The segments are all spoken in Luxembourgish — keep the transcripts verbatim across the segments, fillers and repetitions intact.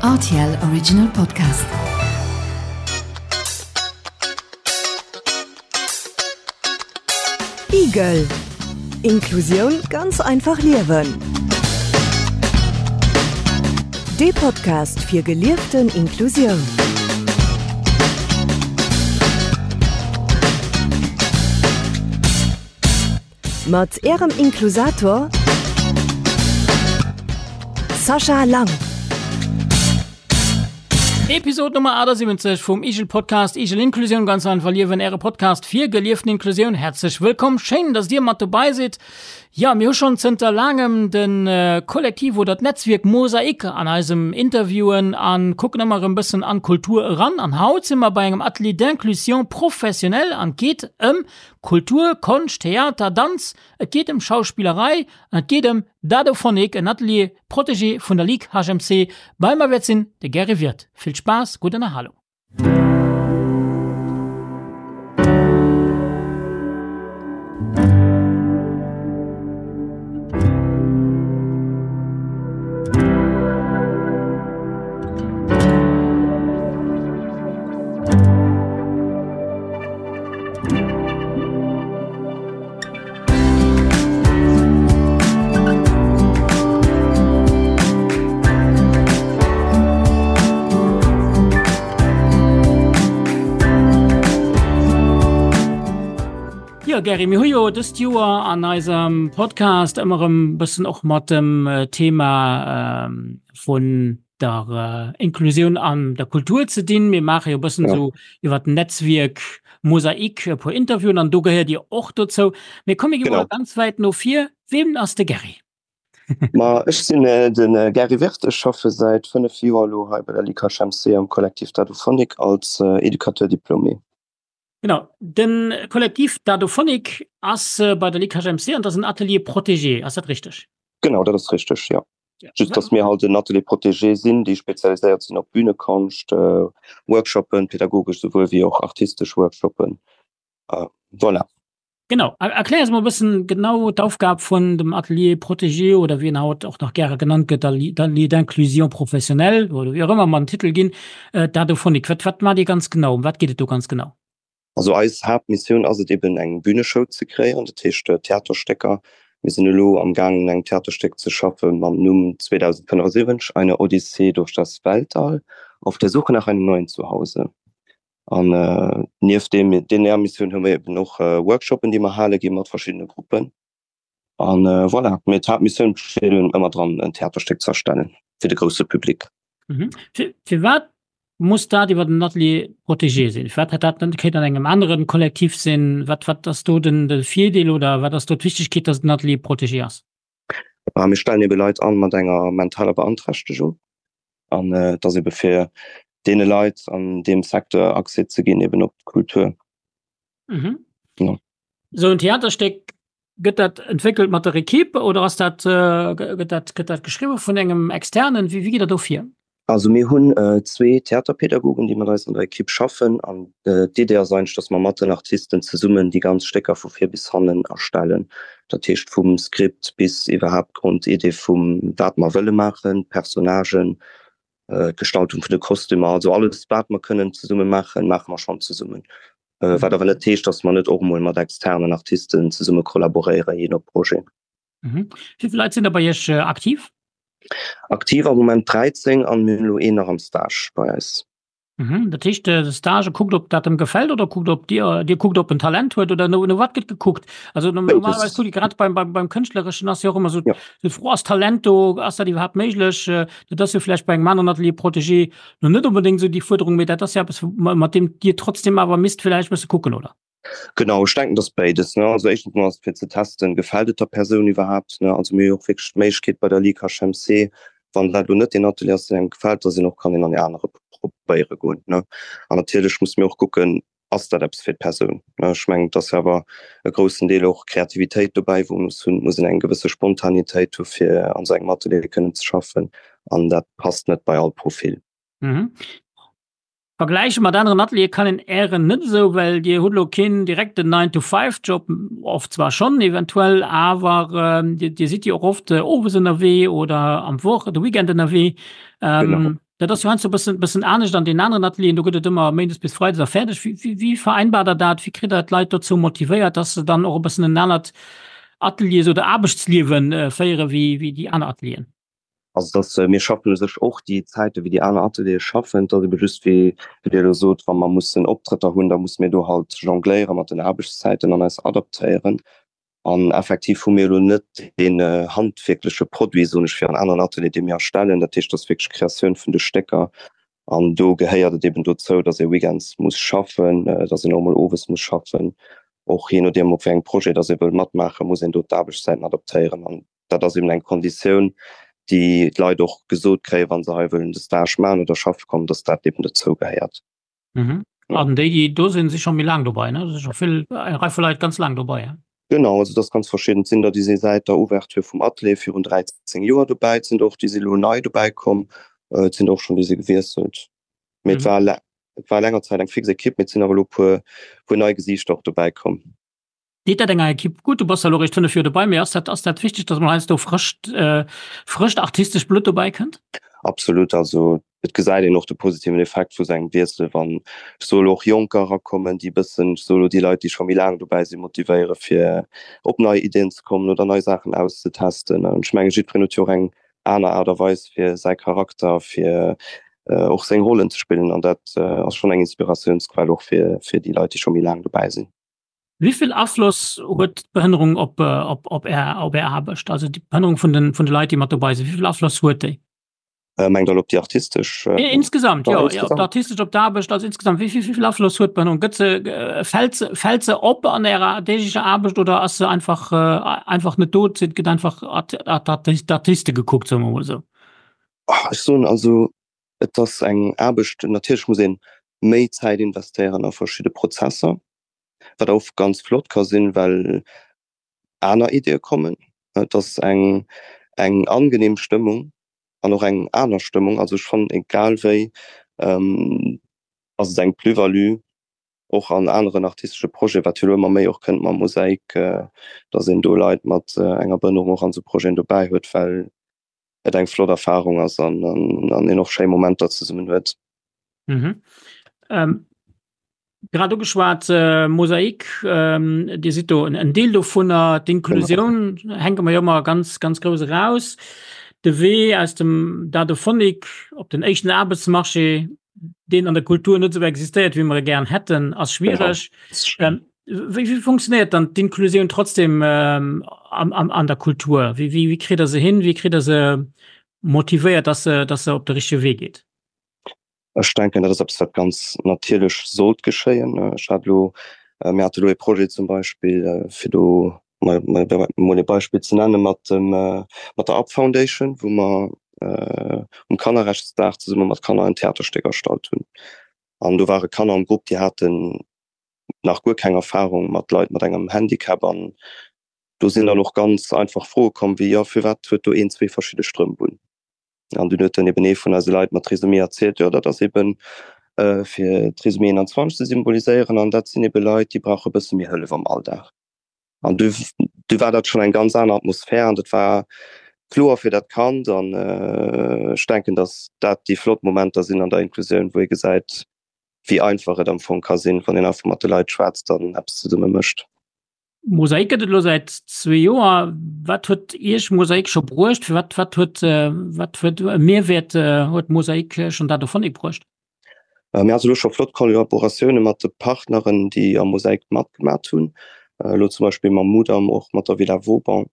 R T L Original Podcast. Igel. Inklusioun ganz einfach liewen. De Podcast fir gelieften Inklusioun. Mat Ärem Inklusator Sascha Lang. Episod Nummer achtundsiwwenzeg vum Igel Podcast Igel Inklusioun ganz einfach liewen, äre Podcast fir gelieften Inklusioun. Häerzlech wëllkomm, schéin, dass dir mat dobäi sidd. Ja, mir hu schonn zënter laangem de Kollektiv oder d'Netzwierk Mosaik an eisem Interviewen an kucken ëmmer erëm bëssen an d'Kultur eran. An haut si mer bei engem Atelier d'inclusion professionnelle an et geet ëm Kultur, Konscht, Theater, Danz, et geet ëm Schauspillerei an et geet ëm Dadophonik, en Atelier protégé vun der Ligue H M C. Bei mer wäert sinn de Gary Wirth. Vill Spaass, gutt Ënnerhalung. Jo Gary, mir hu jo dëst Joer an eisem Podcast ëmmer erëm bëssen och mat dem Thema vun der Inklusioun an der Kultur ze dinn. Mir maache jo bëssen Ja. esou iwwer d'Netzwierk Mosaik e puer Interviewen an do gehéiert Dir och dozou. Mee komm mir gi mol Genau. ganz wäit no vir. Wien ass de Gary? Ma ech sinn de Gary Wirth, ech schaffe säit fënnef Joer elo hei bei der Ligue H M C am Kollektiv Dadophonik als Educateur diplômé. Genau, de Kollektiv Dadophonik ass bei der Ligue H M C an dat ass en Atelier protégé, ass dat richteg? Genau, dat ass richteg, jo. Ja. Just dass mir halt en Atelier protégé sinn, déi spezialiséiert sinn op Bühnekonscht, Workshoppen, pädagogesch souwuel wéi och artistesch Workshoppen. Voilà. Genau, erklär eis mol e bëssen genau d'Aufgab vun dem Atelier protégé oder wéi en haut och nach gäre genannt gëtt, Atelier d'inclusion professionnelle oder wéi och ëmmer mer den Titel ginn, Dadophonik. Wat, wat maacht Dir ganz genau? Ëm wat geet et do ganz genau? Also eis Haaptmissioun ass et eben eng Bühneshow ze kreéieren, dat heescht Theaterstécker. Mir sinn elo am gaangen un engem Theaterstéck ze schaffe mam Numm zweedausendfënnefundsiwwenzeg, eine Odyssee durch das Weltall, auf der Suche nach einem neuen Zuhause. An nieft deem deeër Missioun hu mir eben och Workshoppen, déi mer hale gi mat verschiddene Gruppen. An voilà, mee d'Haaptmissioun besteet eben ëmmer dran en Theaterstéck ze erstellen fir de grousse Public. Mhm. Firwat muss dat iwwer den Atelier protégé sinn? Firwat hätt dat net kéint an engem aneren Kollektiv sinn? Wat, wat ass do den, de Virdeel oder wat ass do d'Wichtegkeet, dass et den Atelier protégé ass? Ah, mir stellen ebe Leit an mat enger mentaler Beanträchtegung an et ass ebe fir deene Leit an deem Secteur Accès ze ginn eben op d'Kultur. Mhm. Ja. Sou en Theaterstéck, gëtt dat entwéckelt mat der Equipe oder ass dat, gëtt dat, gëtt dat geschriwwe vun engem Externen? Wéi, wéi geet dat do vir? Also mir hunn zwee Theaterpädagogen, déi mat eis an der Equipe schaffen an d'Idee ass eigentlech, datt mer mat den Artisten zesummen déi ganz Stécker vu vir bis hannen erstellen. Dat heescht vum Skript bis iwwerhaapt d'Grondidee vum wat mer wëlle maachen, d'Personnagen, d'Gestaltung vun de Kostümer, also alles wat mer kënnen zesumme maachen, maache mer schonn zesummen. Wat awer net heescht, datt mer net och emol mat externen Artisten zesumme kollaboréieren, jee no Projet. Mhm. Wéi vill Leit sinn da bei Iech aktiv? Aktiv am Moment dräizéng an mir hunn elo een nach am Stage bei eis. Mhm. Dat heescht, de Stage kuckt, ob dat em gefält oder kuckt, ob Dir, Dir kuckt, ob en Talent huet oder no, no wat gëtt gekuckt? Also normalerweis kuckt grad beim, beim, beim Kënschtlereschen ass jo och ëmmer sou Ja. d'Fro, ass Talent do, ass dat iwwerhaapt méiglech? Dat ass jo vläicht bei engem aneren Atelier protégé no net onbedéngt sou déi Fuerderung, mee dat ass jo eppes, mat deem Dir trotzdem awer misst vläicht bësse kucken, oder? Genau, ech denken, dass béides, ne? Also éischtens mol ass et fir ze testen, gefält et der Persoun iwwerhaapt, ne? Also mir hu jo och wierklech d'Méiglechkeet bei der Ligue H M C, wann dat elo net deen Atelier ass, deen engem gefält, dass een och kann een an ee anere probéiere goen, ne? An natierlech musse mir och kucken, ass dat eppes fir d'Persoun, ne? Ech mengen, et ass jo awer e groussen Deel och Kreativitéit dobäi, wou muss hunn, muss een eng gewësse Spontanitéit hu fir an esou engem Atelier kënnen ze schaffen an dat passt net bei all Profil. Mhm. Vergläiche mat aneren Ateliere kann een Ären net esou, well Dir hutt elo keen direkten Nine-to-Five-Job, oft zwar schonn eventuell, awer Dir, Dir sidd jo och oft owes ënnerwee oder am Woch, de Weekend ënnerwee. Genau. Dat ass jo heiansdo e bëssen, bëssen anescht an den aneren Atelieren, do gëtt et ëmmer méindes bis freides a fäerdeg. Wéi, wéi, wéi vereinbart Der dat? Wéi kritt Der d'Leit dozou motivéiert, dass se dann och e bëssen en anert Ateliers oder Aarbechtsliewe féiere wéi, wéi déi aner Atelieren? Also dass mir schaffen u sech och déi Zäite wéi déi aner Ateliere schaffen. Et ass ebe just wéi, wéi Dir elo sot, wa mer mussen Optrëtter hunn, da musse mir do halt jongléiere mat den Aarbechtszäiten an eis adaptéieren. An effektiv hu mir elo net deen handwierkleche Produit, soen ech, wéi an aneren Atelieren, dee mir erstellen. Dat heescht, et ass wierklech d'Kreatioun vun de Stécker. An do gehéiert et eben dozou, dass ee weekends muss schaffen, dass een och emol owes muss schaffen. Och jee nodeem, op wéi engem Projet dass ee wëll matmaachen, muss een do d'Aarbechtszäiten adaptéieren. An dat ass eben eng Konditioun, déi d'Leit och gesot kréien, wa se hei wëllen de Stage maachen oder schaffe kommen, dass dat eben dozou gehéiert. Mhm. An déi, déi do sinn, si scho méi laang dobei, ne? Et si scho vill, eng Rei vu Leit ganz laang dobei, he? Genau, also et ass ganz verschidden. Et sinn der, déi si säit der Ouverture vum Atelier virun dräizéng Joer dobäi. Et sinn der och, déi si elo nei dobäi komm. Et sinn der och schonn, déi si gewiesselt. Mee et war, et war länger Zäit eng fix Ekipp, mee et sinn awer elo e puer, puer nei Gesiichter och dobäi komm. Deet dat enger Ekipp gutt? Du bass elo eréischt fënnef Joer dobei, mee ass dat, ass dat wichteg, datt mol heiansdo frëscht, frëscht artistescht Blutt dobäi kënnt? Absolut. Also et gesäit een och de positiven Effekt vu sou engem Wiessel, wann, ech soe elo, och Jonker erakommen, déi e bëssen, ech soe elo, déi Leit, déi scho méi laang dobäi sinn, motivéiere fir op nei Iddien ze kommen oder nei Saachen auszetesten. An ech menge jiddwereen huet jo och eng aner Aart a Weis fir säi Charakter, fir och seng Rollen ze spillen an dat ass schonn eng Inspiratiounsquell och fir, fir déi Leit, déi scho méi laang dobäi sinn. Wéi vill Afloss huet d'Behënnerung op, op, op Är, op Är Aarbecht? Also déi Behënnerung vun den, vun de Leit, déi mat dobei sinn, wéi vill Afloss huet déi? Mengt Der elo op déi artistesch? Insgesamt, jo, op d'artistesch, op d'Aarbecht, also insgesamt, wéi vill, wéi vill Afloss huet d'Behënnerung? Gëtt se, fält se, fält se op an Ärer deeglecher Aarbecht oder ass se einfach, einfach net do, et gëtt einfach d'Artiste gekuckt, soe mer emol esou? Ech soen also, et ass eng Aarbecht, natierlech muss ee méi Zäit investéieren a verschidde Prozesser, wat och ganz flott ka sinn, well aner Ideeë kommen. Et ass eng eng angenehm Stëmmung an och eng aner Stëmmung. Also ech fannen egal wéi ass et eng Plus-value och an aneren artistesche Projeten, wat jo elo ëmmer méi och kënnt mam Mosaik, datt een do Leit mat enger Behënnerung och an esou Projeten dobäi huet, well et eng flott Erfarung ass an een och schéi Momenter zesummen huet. Mhm. Ähm, Grad ugeschwat, äh, Mosaik, ähm, Dir sidd do en Deel dovunner. D'Inklusioun hänke mer jo ëmmer ganz, ganz grouss eraus. De Wee aus dem Dadophonik op den éischten Aarbechtsmarché, deen an der Kultur net esou existéiert, wéi mer e gären hätten, ass schwiereg. Ähm, wéi, wéi funktionéiert dann d'Inklusioun trotzdem ähm, am, am, an der Kultur? Wéi, wéi, wéi kritt Der se hin? Wéi kritt Der se motivéiert, dass se, dass se op de richtege Wee geet? Ech denken, dat ass eppes, wat ganz natierlech sollt geschéien. Ech hat elo, mir hate elo ee Projet zum Beispill, fir do mol ee Beispill ze nennen, mat dem, mat der Up Foundation, wou mer um Kannerrechtsdag zesumme mat Kanner en Theaterstéck erstallt hunn. An do ware Kanner am Grupp, déi haten nach guer keng Erfarung mat Leit mat engem Handicap. An do sinn dann och ganz einfach Froe komm wéi, Jo, firwat huet do een zwee verschidde Strëmp un? An dunn huet dann eben ee vun eise Leit mat Trisomie erzielt, jo dat ass eben fir Trisomie einundzwanzeg ze symboliséieren an dat sinn ebe Leit, déi brauche e bësse méi Hëllef am Alldag. An du, du war dat schonn eng ganz aner Atmosphär an dat war kloer fir dat Kand. An ech denken, datt dat déi flott Momenter sinn an der Inklusioun, wou ee gesäit, wéi einfach et am Fong ka sinn, wann een einfach mat de Leit schwätzt an eppes zesumme mécht. Mosaik gëtt et elo säit zwee Joer. Wat huet Iech Mosaik scho bruecht? Wat, wat huet, wat huet e Mehrwäert huet Mosaik schonn dat dovun bruecht? Mir hate elo scho flott Kollaboratioune mat de Partneren, déi am Mosaik matgemat hunn. Elo zum Beispill mam Mudam, och mat der Villa Vauban.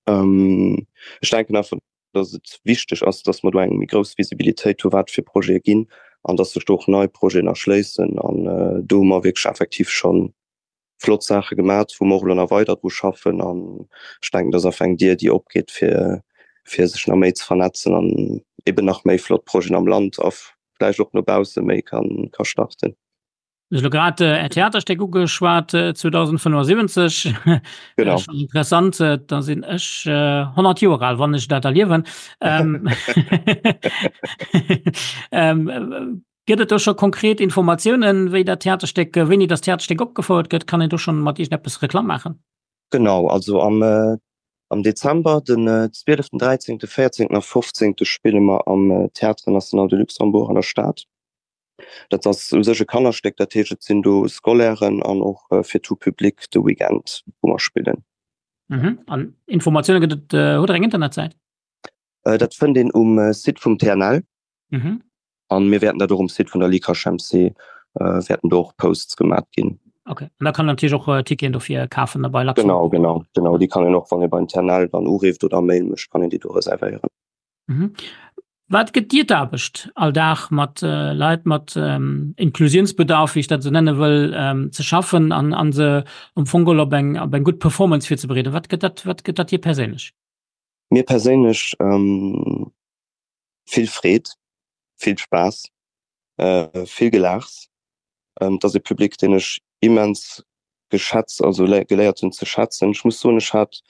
Ech denken einfach, datt et wichteg ass, datt mer do eng méi grouss Visibilitéit hu wat fir Projete ginn an datt sech do och nei Projeten erschléissen. An do hu mer wierklech effektiv schonn flott Saache gemat, wou mer och elo nach weider dru schaffen. An ech denken, dat ass einfach eng Dier, déi opgeet, fir, fir sech nach méi ze vernetzen an eben nach méi flott Projeten am Land a vläicht och no bausse méi ka, ka starten. Du hues elo grad Är Theaterstéck ugeschwat, zweedausendfënnefundsiwwenzeg. Genau. Schonn interessant, da sinn ech honnert Joer al, wann ech dat erliewen. Gëtt et do scho konkret Informatiounen, wéi dat Theaterstéck, wéini dat Theaterstéck opgefouert gëtt? Kann een do schonn mat iergendeppes Reklamm maachen? Genau, also am Am Dezember, den zwieleften, dräizéngte, véierzéngten a fofzéngte spille mer am Théâtre National de Luxembourg an der Stad. Dat ass u sech e Kannerstéck, dat heescht et sinn do Scolairen an och fir tout public de Weekend, wou mer spillen. Mhm. An Informatioune gëtt et, hutt Der eng Internetsäit? Dat fënnt een um Site vum TNL. Mhm. An mir wäerten dat och um Site vun der LICASH-MC, wäerten do och Posts gemat ginn. Okay. An da kann een natierlech och Ticketen dofir kafen da bei Luxembourg. Genau, genau, genau. Déi kann een och, wann ee beim TNL dann urifft oder Mail mécht, kann een déi do reservéieren. Mhm. Wat gëtt dir d'Aarbecht, all Dag mat Leit mat Inklusionsbedarf, wéi ech dat esou nenne wëll, ze schaffen an an se am Fong geholl op eng op eng gutt Performance virzebereeden? Wat gëtt dat wat gëtt dat dir perséinlech? Mir perséinlech vill Freed, vill Spaass, vill Gelaachs. Et ass e Public, deen ech immens geschätzt, also geléiert hunn ze schätzen. Ech muss soen, ech hat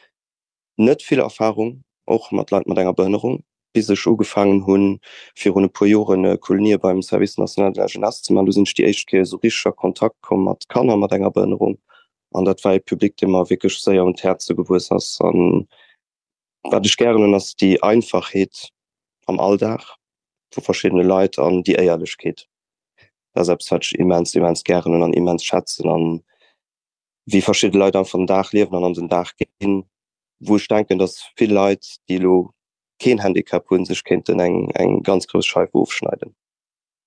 net vill Erfarung och mat Leit mat enger Behënnerung, bis ech ugefaangen hunn, virun e puer Joren Kolonië beim Service national de la jeunesse ze maachen. Do sinn ech déi éischt Kéier esou richteg a Kontakt komm mat Kanner mat enger Behënnerung. An dat war e Public, dee mer wierklech séier un d'Häerze gewuess ass. An wat ech gären hunn, ass déi Einfachheet am Alldag vu verschiddene Leit an déi Éierlechkeet. Dat ass eppes, wat ech immens, immens gären hunn an immens schätzen. An wéi verschidde Leit einfach den Dag liewen an an den Dag ginn, wou ech denken, datt vill Leit, déi elo keen Handicap hunn, sech kéinten eng, eng ganz grouss Scheif ofschneiden.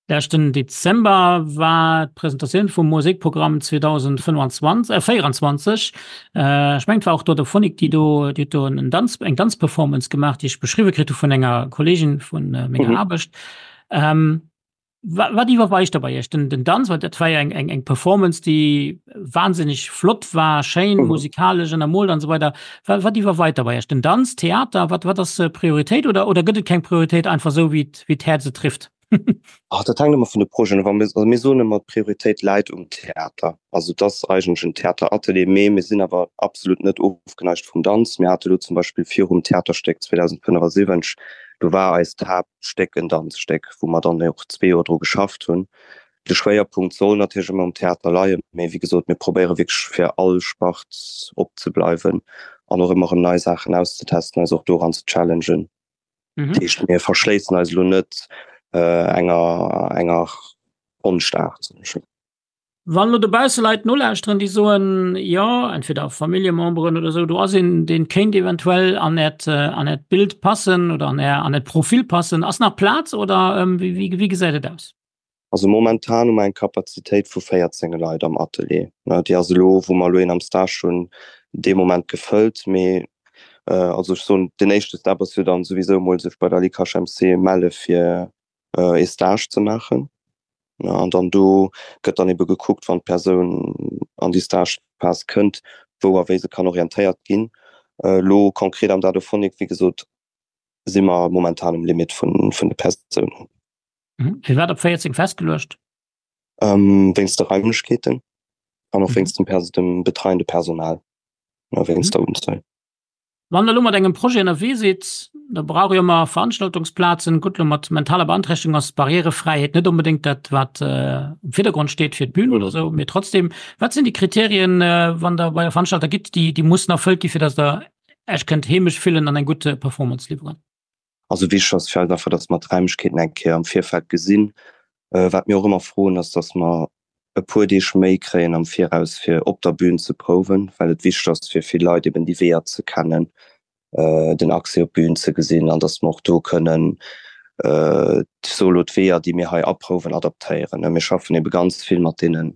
Leschten Dezember war d'Presentatioun vum Mosaikprogramm zweedausendfënnwanzwanzeg, äh, véieranzwanzeg. Ech mengen, et war och d'Odophonic, déi do, déi huet do en Danz, eng Danzperformance gemaach, déi ech beschriwwe kritt hu vun enger Kolleegin vu menger Aarbecht. Wat iwwerweigt da bei Iech? Den, den Danz, well dat war jo eng, eng, eng Performance, déi wahnsinneg flott war, schéin, mhm. musikalesch ënnermoolt an esou weider. Wat, wat iwwerweit da bei Iech? Den Danz, Theater, wat, wat ass Prioritéit oder, oder gëtt et keng Prioritéit, einfach esou wéi wéi d'Häerz et trifft? Ach, dat hänkt ëmmer vun de Projeten of. Also mir soen ëmmer, d'Prioritéit läit um Theater. Also et ass eigentlech en Theateratelier, mee mir sinn awer absolut net ofgeneigt vum Danz. Mir hate lo zum Beispill virum Theaterstéck zweedausendfënnefasiwwenzeg, do war eist Haaptstéck en Danzstéck, wou mer dann och zwee Joer dru geschafft hunn. De Schwéierpunkt soll natierlech ëmmer um Theater leien, mee wéi gesot, mir probéiere wierklech fir all Spart opzebleiwen an och ëmmer erëm nei Saachen auszetesten, eis och doran ze challengen. Dat heescht, mir verschléissen eis elo net enger enger Konschtaart, soen ech elo. Wann elo dobausse Leit nolauschteren, déi soen, jo, entweder Familljememberen oder esou, do ass een, dee kéint eventuell an Äert, an Äert Bild passen oder an Är, an Äert Profil passen, ass nach Plaz oder wéi, wéi gesäit et aus? Also momentan hu mer eng Kapazitéit vu véierzéng Leit am Atelier. Déi ass elo, wou mer elo een am Stage hunn, dee Moment gefëllt. Mee also ech soen, den éischte Step ass jo dann souwisou emol sech bei der LICHMC melle fir ee Stage ze maachen. An dann do gëtt dann ebe gekuckt, wann d'Persoun an déi Stagephas kënnt, wou a wéi se kann orientéiert ginn. Elo konkret am Dadophonic, wéi gesot, si mer momentan um Limit vun de Persounen. Firwat op véierzéng festgeluecht? Wéinst de Raimlechkeeten an och wéinst dem betreiende Personal, wéinst der Unzuel. Wann Der elo mat engem Projet ënnerwee sidd, da brauch Dir ëmmer Veranstaltungsplazen. Gutt, elo mat mentaler Beanträchtegung ass d'Barrièrefräiheet net onbedéngt dat, wat am Virdergrond steet fir d'Bün oder esou. Mee trotzdem, wat sinn déi Kriterien, wann Der bei e Veranstalter gitt, déi, déi mussen erfëllt gi fir datt Der Iech kënnt heemesch fillen an eng gutt Performance liwweren? Also wichteg ass fir eis einfach, datt mer d'Raimlechkeeten eng Kéier am Virfeld gesinn. Wat mir och ëmmer froen, ass, datt mer e puer Deeg méi kréien am Viraus fir op der Bühn ze prouwen, well et wichteg ass fir vill Leit eben déi Weeër ze kennen, den Accès op d'Bühn ze gesinn an datt mer och do kënnen, ech soe lo, d'Weeër déi mir hei aprouwen adaptéieren. Mir schaffen ebe ganz vill mat deene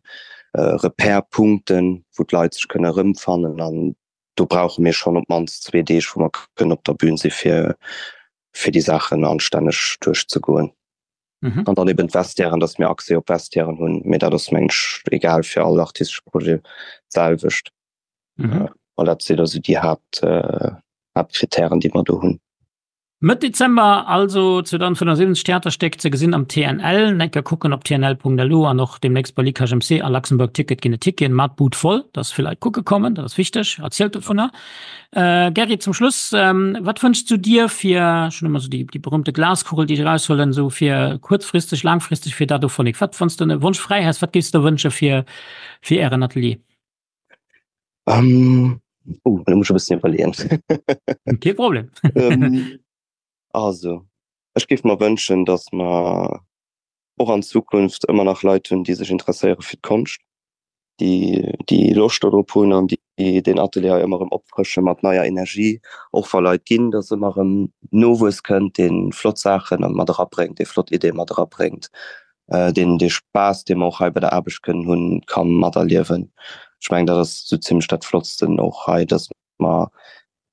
Repère-Punkten, wou d'Leit sech kënne erëmfannen an do brauche mir schonn op d'mannst zwee Deeg, wou mer kënnen op der Bühn si fir fir déi Saachen anstänneg duerchzegoen. Mhm. An dann eben d'Vestiairen, dass mir Accès op Vestiairen hunn, mee dat ass mengen ech egal fir all artistesche Projet d'selwecht. Mhm. Äh, voilà, dat sinn also déi Haupt, äh, Hauptkritären, déi mer do hunn. Mëtt Dezember also zweedausendfënnefundsiwwenzeg Theaterstéck ze gesinn am T N L. Enker kucken op T N L Punkt L U an och deemnächst bei LICHMC a Luxembourg Ticket ginn et Ticketen. Mat Bud voll, dass vill Leit kucke kommen, dat ass wichteg. Erzielt dovunner. Gerry, zum Schluss, wat wënschs du dir fir, ech hunn ëmmer esou déi, déi berühmte Glaskugel, déi ech eraushuelen, esou fir kuerzfristeg, laangfristeg fir Dadophonik? Wat, wann s de e Wonsch fräi häss, wat géifs de der wënsche fir, fir Ären Atelier? Oh, elo muss ech e bëssen iwwerleeën. Kee Problem. Also, ech géif mer wënschen, datt mer och an Zukunft ëmmer nach Leit hunn, déi sech interesséiere fir d'Konscht, déi déi Loscht dodrop hunn an déi deen Atelier hei ëmmer erëm opfrësche mat neier Energie, och wa Leit ginn, datt ëmmer erëm Nowuess kënnt, dee flott Saache mat erabréngt, dee flott Ideeë mat erabréngt, deen dee Spaass, dee mer och hei bei der Aarbecht kënnen hunn, ka materliewen. Ech mengen, dat ass esou zimlech dat Flottsten och hei, datt mer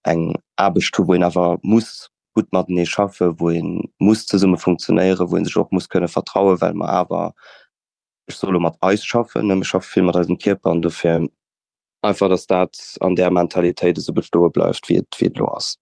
eng Aarbecht hu wou een awer muss gutt matenee schaffen, wou ee muss zesumme funktionéieren, wou ee sech och muss kënne vertrauen, well mer awer, ech soe lo mat eis schaffen, ne, mir schaffe vill mat eisem Kierper an dofir einfach, datt dat an där Mentalitéit esou bestoe bleift, wéi et wéi et elo ass.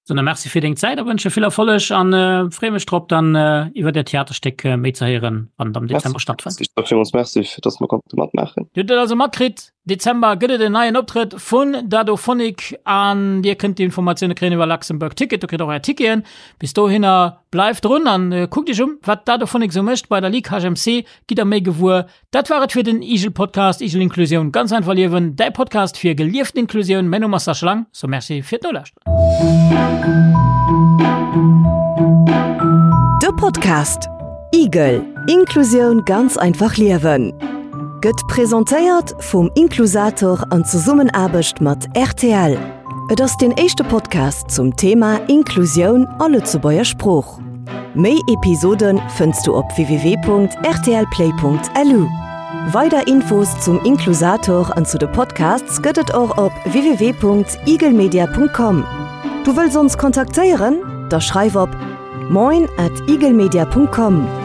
Soen der Merci fir deng Zäit a wënsche vill Erfolleg an freeë mech drop dann iwwer äert Theaterstéck méi ze héieren, wann et am Dezember stattfënnt. Ech soe villmools Merci, fir datt mer konnte matmaachen. Dir hutt et also matkritt, Dezember gëtt et en neien Optrëtt vun Dadophonic an dir kënnt d'Informatioune kréien iwwer Luxembourg Ticket. Do kritt och är Ticketen. Bis dohinner bleift drun an kuckt iech um, wat Dadophonic sou mécht bei der Ligue HMC. Gitt der méi gewuer. Dat war et fir den Igel Podcast, Igel Inklusioun ganz einfach liewen, däi Podcast fir gelieften Inklusioun. Mäin Numm ass Sascha Lang, so Merci fir d'Nolauschteren. De Podcast Igel, Inklusioun ganz einfach liewen gëtt presentéiert vum Inklusator an Zesummenaarbecht mat rtl. Et ass deen éischte Podcast zum Thema Inklusioun a Lëtzebuerger Sprooch. Méi Episode fënns du op www.rtlplay.lu. Weider Infos zum Inklusator an zu de Podcasts gëtt et och op www.igelmedia.com. Du wëlls ons kontaktéieren? Da schreif op moin at igelmedia.com.